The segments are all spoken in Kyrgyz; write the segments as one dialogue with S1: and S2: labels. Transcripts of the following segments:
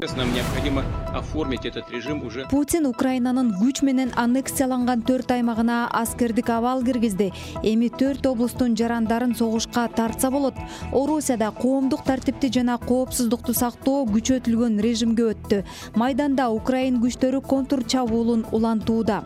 S1: Нам необходимо оформить этот режим уже.
S2: Путин Украинанын күч менен аннексияланган 4 аймагына аскердик абал киргизди. Эми 4 облустун жарандарын согушка тартса болот. Орусияда коомдук тартипти жана коопсуздукту сактоо күчөтүлгөн режимге өттү. Майданда Украин күчтөрү контур чабуулун улантууда.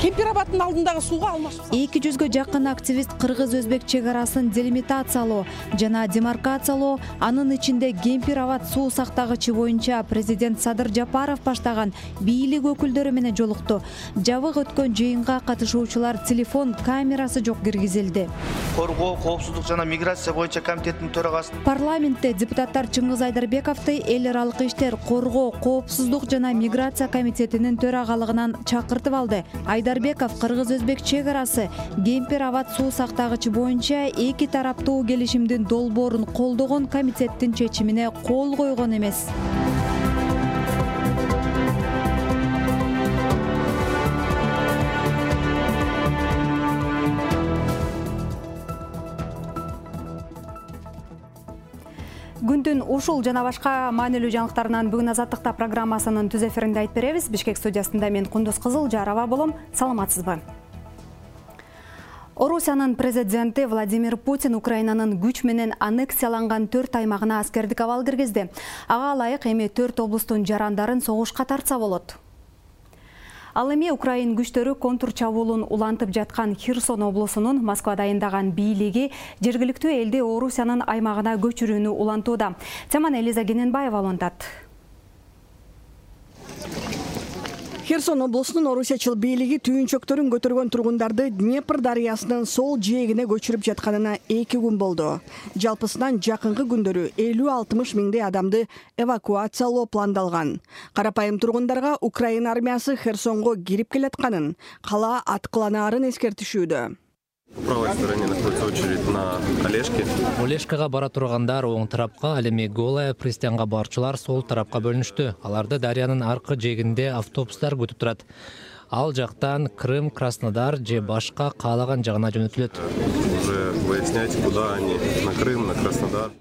S3: Кемпирабадтын алдындагы сууга алмашып.
S2: 200га жакын активист кыргыз-өзбек чек арасын делимитациялоо жана демаркациялоо, анын ичинде Кемпирабад суу сактагычы боюнча президент Садыр Жапаров баштаган бийлик өкүлдөрү менен жолукту. Жабык өткөн жыйынга катышуучулар телефон камерасы жок киргизилди.
S4: Коргоо, коопсуздук жана миграция боюнча комитеттин төрагасы.
S2: Парламентте депутаттар Чыңгыз Айдарбековду эл аралык иштер, коргоо, коопсуздук жана миграция комитетинин төрагалыгынан чакыртып алды. Айдарбеков кыргыз-өзбек чек арасы Кемпирабад суу сактагычы боюнча эки тараптуу келишимдин долбоорун колдогон комитеттин чечимине кол койгон эмес. Күндүн ушул жана башка маанилүү жаңылыктарынан бүгүн Азаттыкта программасынын түз эфиринде айтып беребиз. Бишкек студиясында мен Кундуз Кызыл Жараба болом. Саламатсызбы? Орусиянын президенти Владимир Путин Украинанын күч менен аннексияланган 4 аймагына аскердик абал киргизди. Ага ылайык эми 4 облустун жарандарын согушка тартса болот. Ал эми Украин күчтөрү контур чабуулун улантып жаткан Херсон облусунун Москвада дайындаган бийлиги жергиликтүү элди Орусиянын аймагына көчүрүүнү улантууда. Теманы Элиза Кененбаева улантат.
S3: Херсон облусунун орусиячыл бийлиги түйүнчөктөрүн көтөргөн тургундарды Днепр дарыясынын сол жээгине көчүрүп жатканына 2 күн болду. Жалпысынан жакынкы күндөрү 50-60 миңдей адамды эвакуациялоо пландалган. Карапайым тургундарга Украина армиясы Херсонго кирип келатканын, кала аткыланаарын эскертишүүдө.
S5: В правой стороне находится очередь на Олешке.
S6: Олешкага бара тургандар оң тарапка, ал эми Голая пристанга барчылар сол тарапка бөлүнүштү. Аларды дарыянын аркы жээгинде автобустар күтүп турат. Ал жактан Крым, Краснодар же башка каалаган жагына жөнөтүлөт.
S5: Уже выяснять, куда они, на Крым, на Краснодар.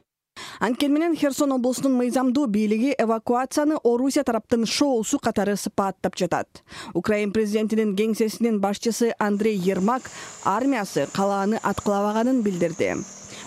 S3: Анткени менен Херсон облусунун мыйзамдуу бийлиги эвакуацияны Орусия тараптын шоусу катары сыпаттап жатат. Украин президентинин кеңсесинин башчысы Андрей Ермак армиясы калааны аткылабаганын билдирди.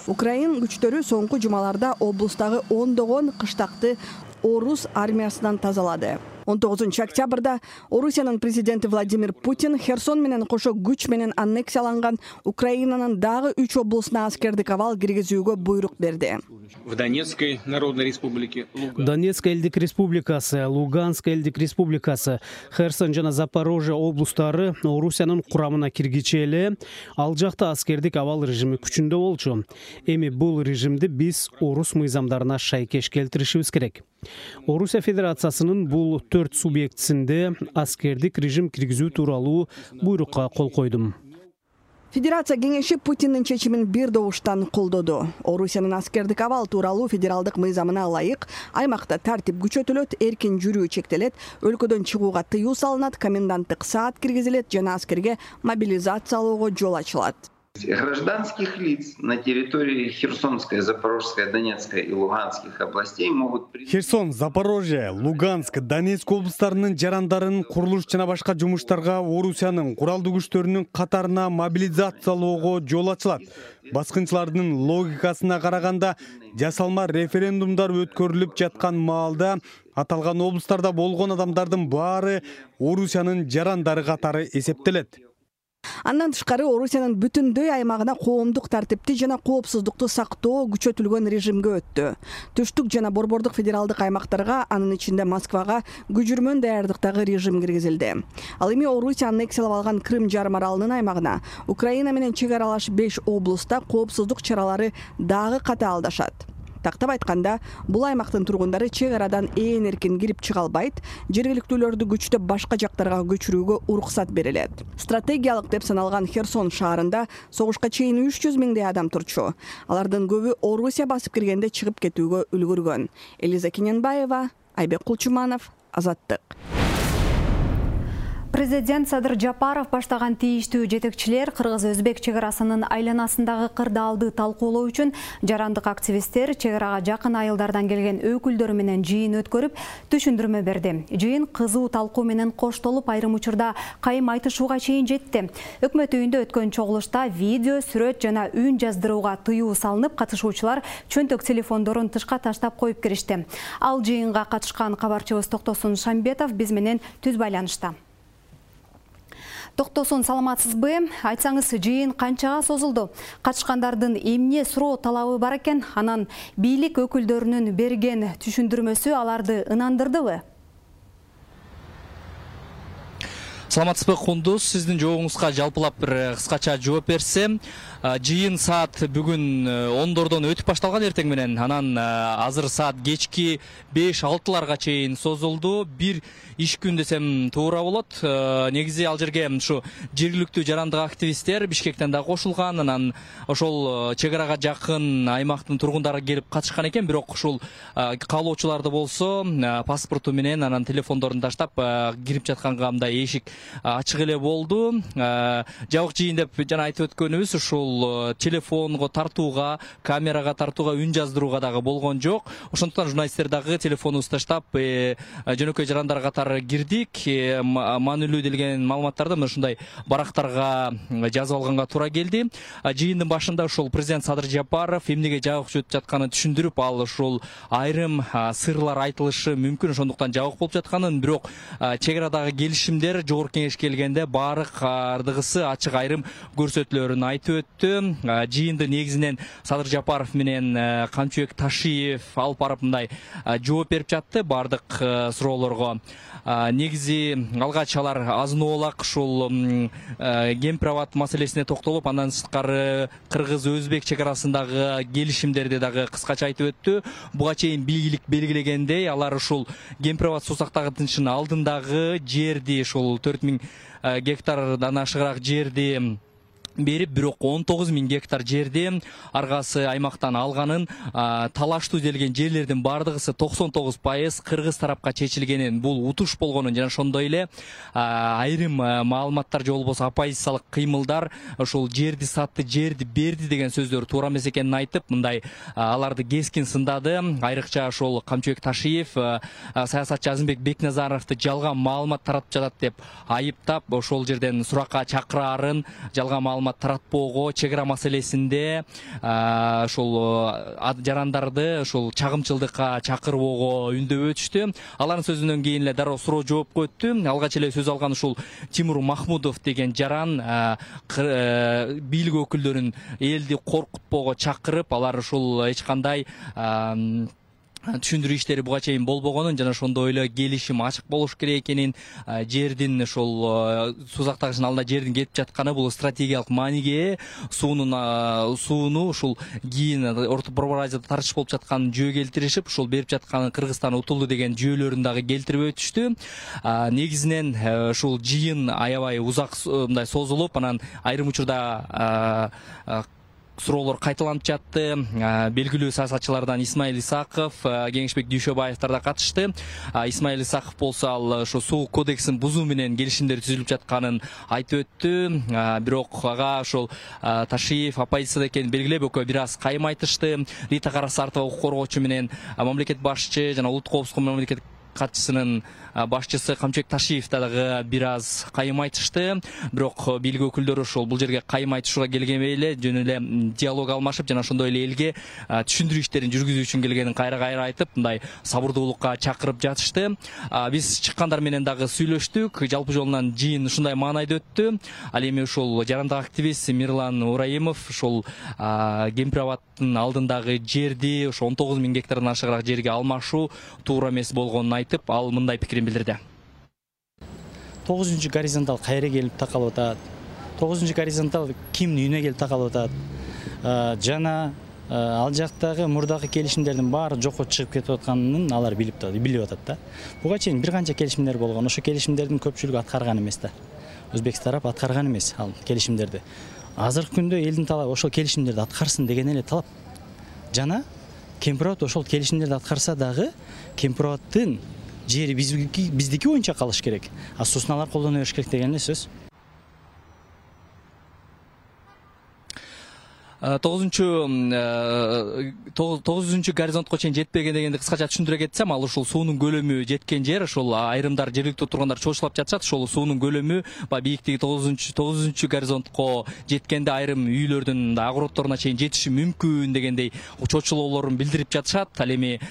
S3: Украин күчтөрү соңку жумаларда облустагы ондогон кыштакты орус армиясынан тазалады. 19 октябрда Орусиянын президенти Владимир Путин Херсон менен кошо күч менен аннексияланган Украинанын дагы 3 облусуна аскердик абал киргизүүгө буйрук берди.
S1: В Донецкой Народной Республике,
S7: Донецк элдик республикасы, Луганск элдик республикасы, Херсон жана Запорожье облустары Орусиянын курамына киргиче эле ал жакта аскердик абал режими күчүндө болчу. Эми бул режимди биз орус мыйзамдарына шайкеш келтиришибиз керек. Орусия Федерациясынын бул 4 субъектисинде аскердик режим киргизүү тууралуу буйрукка кол койдум.
S3: Федерация кеңеши Путиндин чечимин бир добуштан колдоду. Орусиянын аскердик абал тууралуу федералдык мыйзамына ылайык аймакта тартип күчөтүлөт, эркин жүрүү чектелет, өлкөдөн чыгууга тыюу салынат, коменданттык саат киргизилет жана аскерге мобилизациялоого жол ачылат.
S8: Гражданских лиц на территории Херсонской, Запорожской, Донецкой и Луганских областей могут...
S9: Херсон, Запорожье, Луганск, Донецк облустарынын жарандарын курулуш жана башка жумуштарга Орусиянын куралдуу күчтөрүнүн катарына мобилизациялоого жол ачылат. Баскынчылардын логикасына караганда жасалма референдумдар өткөрүлүп жаткан маалда аталган облустарда болгон адамдардын баары Орусиянын жарандары катары эсептелет.
S3: Андан тышкары Орусиянын бүтүндөй аймагына коомдук тартипти жана коопсуздукту сактоо күчөтүлгөн режимге өттү. Түштүк жана борбордук федералдык аймактарга, анын ичинде Москвага күжүрмөн даярдыктагы режим киргизилди. Ал эми Орусия аннексиялап алган Крым жарым аралынын аймагына Украина менен чек аралаш 5 облуста коопсуздук чаралары дагы катаалдашат. Тактап айтканда, бул аймактын тургундары чек арадан ээн эркин кирип чыга албайт, жергиликтүүлөрдү күчтөп башка жактарга көчүрүүгө уруксат берилет. Стратегиялык деп саналган Херсон шаарында согушка чейин 300 миңдей адам турчу. Алардын көбү Орусия басып киргенде чыгып кетүүгө үлгүргөн. Элиза Кененбаева, Айбек Кулчуманов, Азаттык.
S2: Президент Садыр Жапаров баштаган тийиштүү жетекчилер кыргыз-өзбек чек арасынын айланасындагы кырдаалды талкуулоо үчүн жарандык активисттер чек арага жакын айылдардан келген өкүлдөр менен жыйын өткөрүп, түшүндүрмө берди. Жыйын кызуу талкуу менен коштолуп, айрым учурда кайым айтышууга чейин жетти. Өкмөт үйүндө өткөн чогулушта видео, сүрөт жана үн жаздырууга тыюу салынып, катышуучулар чөнтөк телефондорун тышка таштап коюп киришти. Ал жыйынга катышкан кабарчыбыз Токтосун Шамбетов биз менен түз байланышта. Токтосун, саламатсызбы? Айтсаңыз, жыйын канчага созулду? Катышкандардын эмне суроо талабы бар экен? Анан бийлик өкүлдөрүнүн берген түшүндүрмөсү аларды ынандырдыбы?
S10: Саламатсызбы, Кундуз, сиздин жообуңузга жалпылап бир кыскача жооп берсем, жыйын саат бүгүн 10дордон өтүп башталган эртең менен, анан азыр саат кечки 5-6ларга чейин созулду. Бир иш күн десем туура болот. Негизи ал жерге ушу жергиликтүү жарандык активисттер Бишкектен да кошулган, анан ошол чек арага жакын аймактын тургундары келип катышкан экен, бирок ушул каалоочуларды болсо паспорту менен анан телефондорун таштап кирип жатканга мындай эшик ачык эле болду. Жабык жыйын деп жана айтып өткөнүбүз, ушул телефонго тартууга, камерага тартууга, үн жаздырууга дагы болгон жок. Ошондуктан журналисттер дагы телефонубузду таштап жөнөкөй жарандар катары кирдик. Маанилүү делген маалыматтарды мына ушундай барактарга жазып алганга туура келди. Жыйындын башында ушул президент Садыр Жапаров эмнеге жабык өтүп жатканын түшүндүрүп, ал ушул айрым сырлар айтылышы мүмкүн, ошондуктан жабык болуп жатканын, бирок чек арадагы келишимдер жогорку кеңешке келгенде баары кардыгысы ачык айрым көрсөтүлөрүн айтып өттү. Жыйынды негизинен Садыр Жапаров менен Камчыбек Ташиев алып барып мындай жооп берип жатты баардык суроолорго. Негизи алгач алар азын-оолак ушул кемпир-абад маселесине токтолуп, андан сырткары кыргыз-өзбек чек арасындагы келишимдерди дагы кыскача айтып өттү. Буга чейин бийлик белгилегендей, алар ушул кемпир-абад суусактагычынын алдындагы жерди, ушул 4000 гектардан ашыгыраак жерди берип, бирок 19.000 гектар жерди аргасы аймактан алганын, талаштуу делген жерлердин бардыгысы 99% кыргыз тарапка чечилгенин, бул утуш болгонун жана ошондой эле айрым маалыматтар же болбосо оппозициялык кыймылдар ушул жерди сатты, жерди берди деген сөздөр туура эмес экенин айтып, мындай аларды кескин сындады. Айрыкча ошол Камчыбек Ташиев саясатчы Азымбек Бекназаровду жалган маалымат таратып жатат деп айыптап, ошол жерден суракка чакыраарын, жалган маалымат таратпоого, чек ара маселесинде ошол жарандарды ошол чагымчылдыкка чакырбоого үндөп өтүштү. Алардын сөзүнөн кийин эле дароо суроо жоопко өттү. Алгач эле сөз алган ушул Тимур Махмудов деген жаран бийлик өкүлдөрүн элди коркутпоого чакырып, алар ушул эч кандай түшүндүрүү иштери буга чейин болбогонун жана ошондой эле келишим ачык болуш керек экенин, жердин ошол суусактагычтын алдында жердин кетип жатканы бул стратегиялык мааниге ээ, сууну ушул кийин Орто Борбор Азияда тартыш болуп жатканын жөө келтиришип, ушул берип жатканы Кыргызстан утулду деген жөөлөрүн дагы келтирип өтүштү. Негизинен ушул жыйын аябай узак мындай созулуп, анан айрым учурда суроолор кайталанып жатты. Белгилүү саясатчылардан Исмаил Исаков, Кеңешбек Дүйшөбаевдар да катышты. Исмаил Исаков болсо ал ошо суу кодексин бузуу менен келишимдер түзүлүп жатканын айтып өттү. Бирок ага ошол Ташиев оппозицияда экенин белгилеп, экөө бир аз кайым айтышты. Рита Карасартова укук коргоочу менен мамлекет башчы жана улуттук коопсуздук мамлекет катчысынын башчысы Камчыбек Ташиев дагы бир аз кайым айтышты. Бирок бийлик өкүлдөрү ошол бул жерге кайым айтышууга келгенбей эле жөн эле диалог алмашып жана ошондой эле элге түшүндүрүү иштерин жүргүзүү үчүн келгенин кайра айтып, мындай сабырдуулукка чакырып жатышты. Биз чыккандар менен дагы сүйлөштүк. Жалпы жолунан жыйын ушундай маанайда өттү. Ал эми ушул жарандык активист Мирлан Ураимов ушул кемпир-абадтын алдындагы жерди, ошо 19.000 гектардан ашыгыраак жерге алмашуу туура эмес болгонун айтып, ал мындай пикирин билдирди.
S11: 9 горизонтал кайра келип такалып атат. 9 горизонтал кимдин үйүнө келип такалып атат. Жана ал жактагы мурдагы келишимдердин баары жокко чыгып кетип атканын алар билип атат да. Буга чейин бир канча келишимдер болгон. Ошо келишимдердин көпчүлүгү аткарган эмес да. Өзбек тарап аткарган эмес ал келишимдерди. Азыркы күндө элдин талабы ошол келишимдерди аткарсын деген эле талап. Жана кемпир-абад ошол келишимдерди аткарса дагы кемпир-абадтын жери биздики боюнча калыш керек, а сосын алар колдоно бериш керек деген эле сөз.
S10: 9-чу горизонтко чейин жетпеген дегенди кыскача түшүндүрө кетсем, ал ушул суунун көлөмү жеткен жер, ошол айрымдар жергиликтүү тургандар чоочулап жатышат, ошол суунун көлөмү баягы бийликтиги 9-чу горизонтко жеткенде айрым үйлөрдүн огороддоруна чейин жетиши мүмкүн дегендей чоочулоолорун билдирип жатышат. Ал эми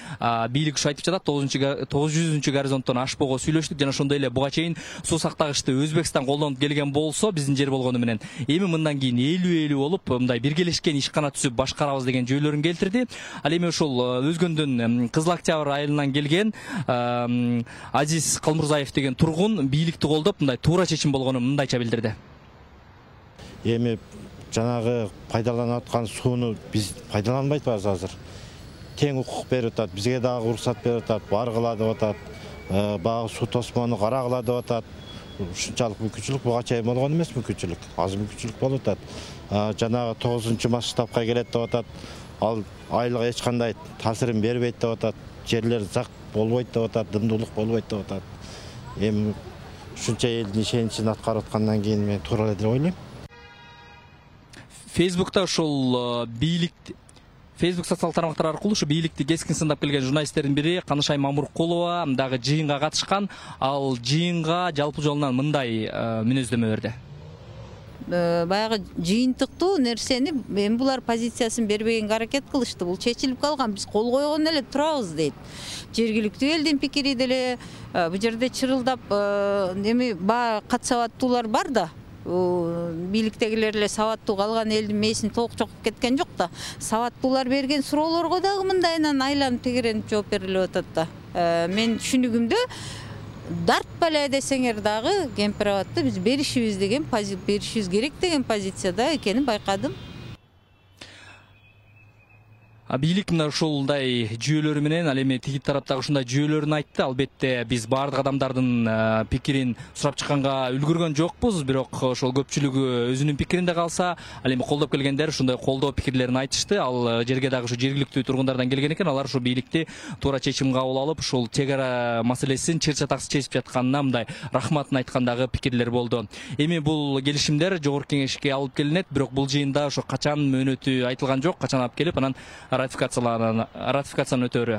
S10: бийлик ушу айтып жатат, 900-чү горизонттон ашпоого сүйлөштүк жана ошондой эле буга чейин суу сактагычты Өзбекстан колдонуп келген болсо, биздин жер болгону менен эми мындан кийин 50-50 болуп мындай биргелешкен ишкана түзүп башкарабыз деген жөйлөрүн келтирди. Ал эми ошол Өзгөндөн Кызыл Октябрь айылынан келген Азиз Калмурзаев деген тургун бийликти колдоп мындай туура чечим болгонун мындайча билдирди.
S12: Эми жанагы пайдаланып аткан сууну биз пайдаланбай атабыз азыр. Тең укук берип атат, бизге дагы уруксат берип атат, баргыла деп атат, баягы суу тосмону карагыла деп атат. Ушунчалык мүмкүнчүлүк буга чейин болгон эмес, мүмкүнчүлүк аз мүмкүнчүлүк болуп атат. Жанагы 9-чу масштабка келет деп атат. Ал айылга эч кандай таасирин бербейт деп атат. Жерлер зак болбойт деп атат, дымдуулук болбойт деп атат. Эми ушунча элдин ишеничин аткарып аткандан кийин мен туура эле деп ойлойм.
S10: Фейсбукта ошол Facebook социалдык тармактар аркылуу ушу бийликти кескин сындап келген журналисттердин бири Канышай Мамуркулова дагы жыйынга катышкан. Ал жыйынга жалпы жолунан мындай мүнөздөмө берди.
S13: Баягы жыйынтыктуу нерсени эми булар позициясын бербегенге аракет кылышты. Бул чечилип калган, биз кол койгон эле турабыз дейт. Жергиликтүү элдин пикири деле бул жерде чырылдап эми кат сабаттуулар бар да. Бийликтегилер эле сабаттуу, калган элдин мээсин толук чокуп кеткен жок да. Сабаттуулар берген суроолорго дагы мындайынан айланып тегеренип жооп берилип атат да. Мен түшүнүгүмдө дартпа эле десеңер дагы кемпирабадты биз беришибиз керек деген позицияда экенин байкадым.
S10: Бийлик мына ушундай жүйөлөрү менен ал эми тиги тараптагы ушундай жүйөлөрүн айтты. Албетте биз баардык адамдардын пикирин сурап чыкканга үлгүргөн жокпуз, бирок ошол көпчүлүгү өзүнүн пикиринде калса, ал эми колдоп келгендер ушундай колдоо пикирлерин айтышты. Ал жерге дагы ушу жергиликтүү тургундардан келген экен. Алар ушу бийликти туура чечим кабыл алып, ушул чек ара маселесин чыр чатаксыз чечип жатканына мындай рахматын айткандагы пикирлер болду. Эми бул келишимдер жогорку кеңешке алып келинет, бирок бул жыйында ошо качан мөөнөтү айтылган жок, качан алып келип анан ратификацияны өтөөрү.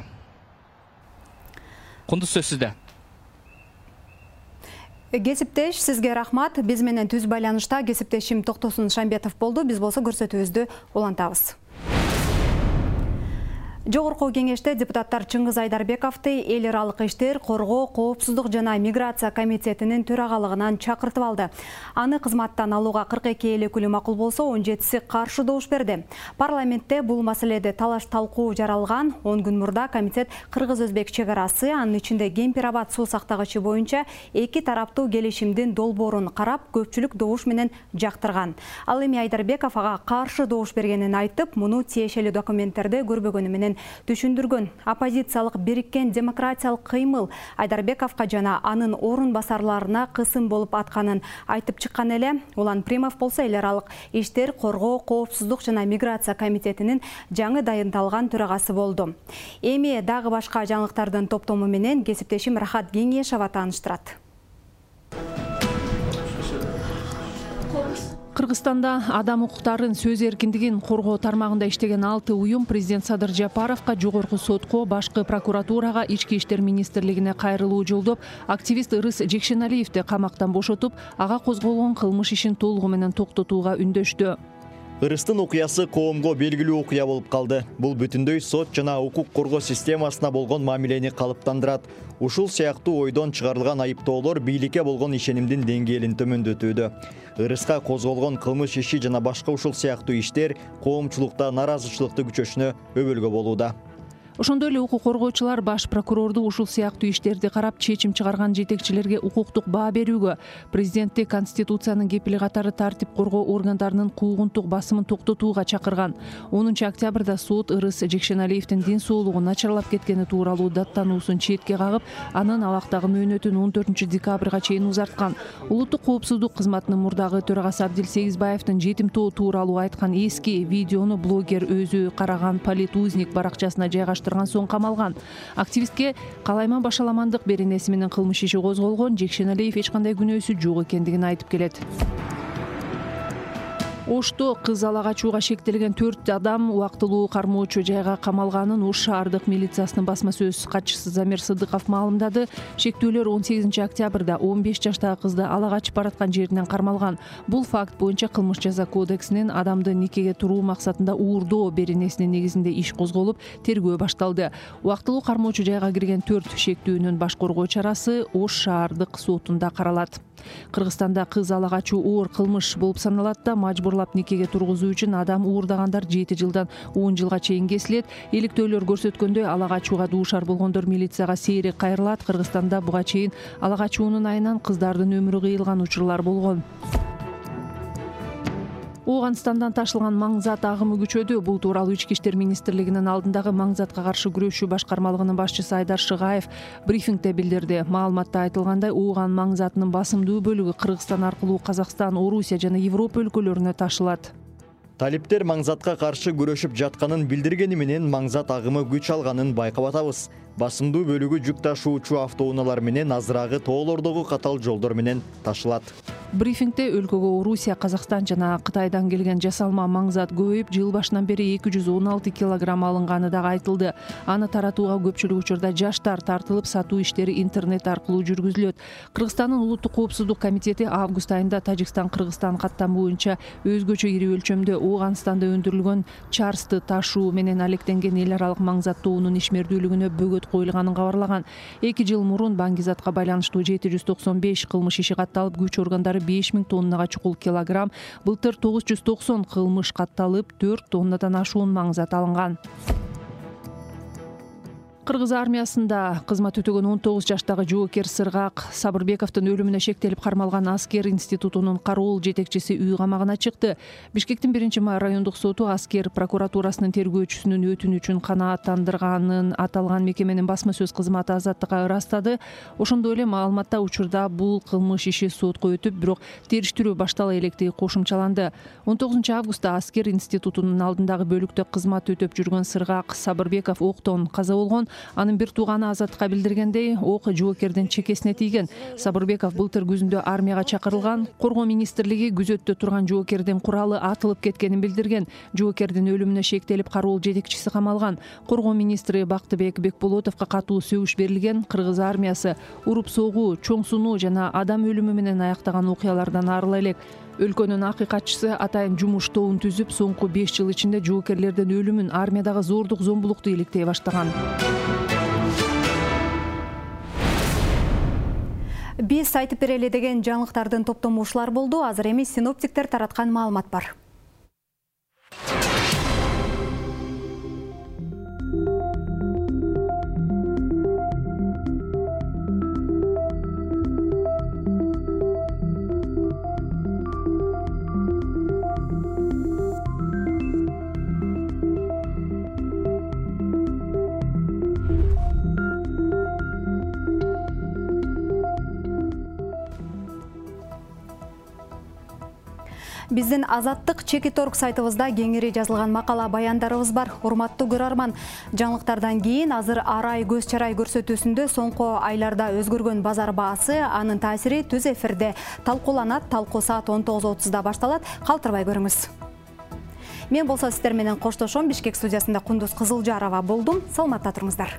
S10: Кундуз сөз сизде.
S2: Кесиптеш, сизге рахмат. Биз менен түз байланышта кесиптешим Токтосун Шамбетов болду. Биз болсо көрсөтүүбүздү улантабыз. Жогорку кеңеште депутаттар Чыңгыз Айдарбековду эл аралык иштер, коргоо, коопсуздук жана миграция комитетинин төрагалыгынан чакыртып алды. Аны кызматтан алууга 42 эл өкүлү макул болсо, 17си каршы добуш берди. Парламентте бул маселеде талаш талкуу жаралган. 10 күн мурда комитет кыргыз-өзбек чек арасы, анын ичинде Кемпир-Абад суу сактагычы боюнча эки тараптуу келишимдин долбоорун карап, көпчүлүк добуш менен жактырган. Ал эми Айдарбеков ага каршы добуш бергенин айтып, муну тиешелүү документтерде көрбөгөнү менен түшүндүргөн. Оппозициялык бириккен демократиялык кыймыл Айдарбековго жана анын орун басарларына кысым болуп атканын айтып чыккан эле. Улан Примов болсо эл аралык иштер, коргоо, коопсуздук жана миграция комитетинин жаңы дайындалган төрагасы болду. Эми дагы башка жаңылыктардын топтому менен кесиптешим Рахат Кеңешова тааныштырат.
S14: Кыргызстанда адам укуктарын, сөз эркиндигин коргоо тармагында иштеген 6 уюм президент Садыр Жапаровго, жогорку сотко, башкы прокуратурага, ички иштер министрлигине кайрылуу жолдоп, активист Ырыс Жекшеналиевди камактан бошотуп, ага козголгон кылмыш ишин толугу менен токтотууга үндөштү.
S15: Ырыстын окуясы коомго белгилүү окуя болуп калды. Бул бүтүндөй сот жана укук коргоо системасына болгон мамилени калыптандырат. Ушул сыяктуу ойдон чыгарылган айыптоолор бийликке болгон ишенимдин деңгээлин төмөндөтүүдө. Ырыска козголгон кылмыш иши жана башка ушул сыяктуу иштер коомчулукта наразычылыкты күчөшүнө өбөлгө болууда.
S14: Ошондой эле укук коргоочулар баш прокурорду ушул сыяктуу иштерди карап чечим чыгарган жетекчилерге укуктук баа берүүгө, президентти Конституциянын кепили катары тартип коргоо органдарынын куугунтук басымын токтотууга чакырган. 10 октябрда сот Ырыс Жекшеналиевдин ден соолугу начарлап кеткени тууралуу даттануусун четке кагып, анын абактагы мөөнөтүн 14 декабрга чейин узарткан. Улуттук коопсуздук кызматынын мурдагы төрагасы Абдил Сегизбаевдин жетимтоо тууралуу айткан эски видеону блогер өзү караган политузник баракчасына жайгаштырып тапшырган соң камалган. Активистке калайман башаламандык беренеси менен кылмыш иши козголгон. Жекшеналиев эч кандай күнөөсү жок экендигин айтып келет. Ошто кыз ала качууга шектелген 4 адам убактылуу кармоочу жайга камалганын Ош шаардык милициясынын басма сөз катчысы Замир Сыдыков маалымдады. Шектүүлөр 18 октябрда 15 жаштагы кызды ала качып бараткан жеринен кармалган. Бул факт боюнча кылмыш жаза кодексинин адамды никеге туруу максатында уурдоо беренесинин негизинде иш козголуп, тергөө башталды. Убактылуу кармоочу жайга кирген 4 шектүүнүн баш коргоо чарасы Ош шаардык сотунда каралат. Кыргызстанда кыз ала качуу оор кылмыш болуп саналат да, мажбурлап никеге тургузуу үчүн адам уурдагандар 7 жылдан 10 жылга чейин кесилет. Иликтөөлөр көрсөткөндөй, ала качууга дуушар болгондор милицияга сейрек кайрылат. Кыргызстанда буга чейин ала качуунун айынан кыздардын өмүрү кыйылган учурлар болгон. Ооганстандан ташылган маңзат агымы күчөдү. Бул тууралуу Ички иштер министрлигинин алдындагы маңзатка каршы күрөшүү башкармалыгынын башчысы Айдар Шыгаев брифингде билдирди. Маалыматта айтылгандай, Ооган маңзатынын басымдуу бөлүгү Кыргызстан аркылуу Казакстан, Орусия жана Европа өлкөлөрүнө ташылат.
S15: Талиптер маңзатка каршы күрөшүп жатканын билдиргени менен маңзат агымы күч алганын байкап атабыз. Басымдуу бөлүгү жүк ташуучу автоунаалар менен азырагы тоолордогу катал жолдор менен ташылат.
S14: Брифингде өлкөгө Орусия, Казакстан жана Кытайдан келген жасалма маңзат көбөйүп, жыл башынан бери 216 килограмм алынганы дагы айтылды. Аны таратууга көпчүлүк учурда жаштар тартылып, сатуу иштери интернет аркылуу жүргүзүлөт. Кыргызстандын улуттук коопсуздук комитети август айында Тажикстан-Кыргызстан каттамы боюнча өзгөчө ири өлчөмдө Ооганстанда өндүрүлгөн чарсты ташуу менен алектенген эл аралык маңзаттоонун ишмердүүлүгүнө бөгөт коюлганын кабарлаган. 2 жыл мурун баңгизатка байланыштуу 795 кылмыш иши катталып, күч органдары 5000 тоннага чукул килограмм, былтыр 990 кылмыш катталып, 4 тоннадан ашуун маңзат алынган. Кыргыз армиясында кызмат өтөгөн 19 жаштагы жоокер Сыргак Сабырбековдун өлүмүнө шектелип кармалган аскер институтунун кароол жетекчиси үй камагына чыкты. Бишкектин 1-май райондук соту аскер прокуратурасынын тергөөчүсүнүн өтүнүчүн канааттандырганын аталган мекеменин басма сөз кызматы азаттыкка ырастады. Ошондой эле маалыматта учурда бул кылмыш иши сотко өтүп, бирок териштирүү баштала электиги кошумчаланды. 19 августта аскер институтунун алдындагы бөлүктө кызмат өтөп жүргөн Сыргак Сабырбеков октон каза болгон. Анын бир тууганы азаттыкка билдиргендей, ок жоокердин чекесине тийген. Сабырбеков былтыр күзүндө армияга чакырылган. Коргоо министрлиги күзөттө турган жоокердин куралы атылып кеткенин билдирген. Жоокердин өлүмүнө шектелип кароол жетекчиси камалган. Коргоо министри Бактыбек Бекболотовго катуу сөгүш берилген. Кыргыз армиясы уруп согуу, чоң сунуу жана адам өлүмү менен аяктаган окуялардан арыла элек. Өлкөнүн акыйкатчысы атайын жумуш тобун түзүп, соңку 5 жыл ичинде жоокерлердин өлүмүн, армиядагы зордук зомбулукту иликтей баштаган.
S2: Биз айтып берели деген жаңылыктардын топтому ушулар болду. Азыр эми синоптиктер тараткан маалымат бар. Биздин Азаттык Чекиторг сайтыбызда кеңири жазылган макала баяндарыбыз бар. Урматтуу көрөрман, жаңылыктардан кийин азыр арай көз чарай көрсөтүүсүндө соңку айларда өзгөргөн базар баасы, анын таасири түз эфирде талкууланат. Талкуу саат 19:30 башталат. Калтырбай көрүңүз. Мен болсо сиздер менен коштошом. Бишкек студиясында Кундуз Кызылжарова болдум. Саламатта туруңуздар.